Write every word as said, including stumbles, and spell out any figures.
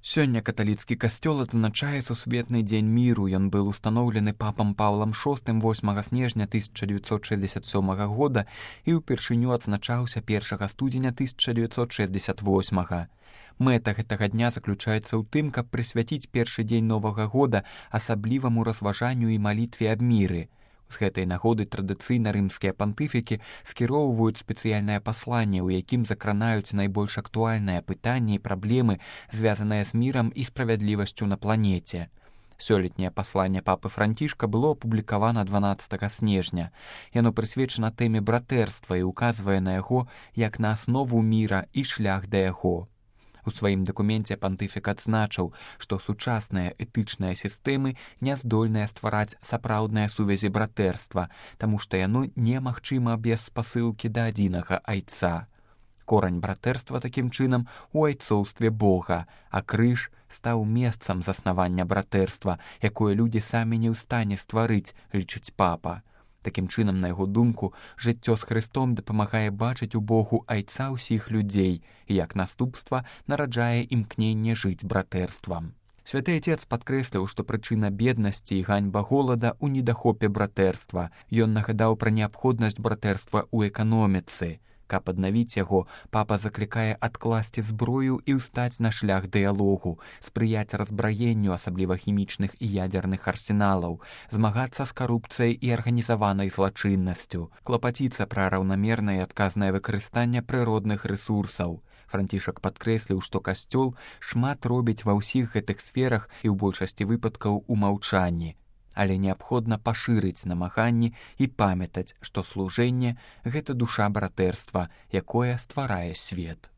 Сёння каталіцкі касцёл адзначае сусветны дзень міру. Ён быў устаноўлены папам Паўлам шостым восьмага снежня тысяча дзевяцьсот шэсцьдзесят сёмага года і ўпершыню адзначаўся першага студзеня тысяча дзевяцьсот шэсцьдзесят восьмага. Мэта гэтага дня заключаецца ў тым, каб прысвяціць першы дзень новага года асабліваму разважанню і малітве аб міры. З гэтай нагоды традыцыйна рымскія пантыфікі скіроўваюць спецыяльнае пасланне, у якім закранаюць найбольш актуальныя пытанні і праблемы, звязаныя з мірам і справядлівасцю на планеце. Сёлетняе пасланне папы Францішка было апублікавана дванаццатага снежня. Яно прысвечана тэме братэрства і указвае на яго як на аснову міра і шлях да яго. У сваім дакуменце пантыфік адзначыў, што сучасныя этычныя сістэмы не здольныя ствараць сапраўдныя сувязі братэрства, таму што яно немагчыма без спасылкі да адзінага айца. Корань братэрства такім чынам у айцоўстве Бога, а крыж стаў месцам заснавання братэрства, якое людзі самі не ў стане стварыць, лічыць папа. Такім чынам, на яго думку, жыццё з Хрыстом дапамагае бачыць у Богу айца ўсіх людзей і, як наступства, нараджае імкненне жыць братэрствам. Святы Отец падкрэсліў, што прычына беднасці і ганьба голада ў недахопе братэрства. Ён нагадаў пра неабходнасць братэрства ў эканоміцы. Каб аднавіць яго, папа заклікае адкласці зброю і ўстаць на шлях дыялогу, спрыяць разбраенню, асабліва хімічных і ядзерных арсеналаў, змагацца з карупцыяй і арганізаванай злачыннасцю, клапаціцца пра раўнамернае і адказнае выкарыстанне прыродных рэсурсаў. Францішак падкрэсліў, што касцёл шмат робіць ва ўсіх гэтых сферах і ў большасці выпадкаў у маўчанні. Але неабходна пашырыць намаганні і памятаць, што служэнне – гэта душа братэрства, якое стварае свет.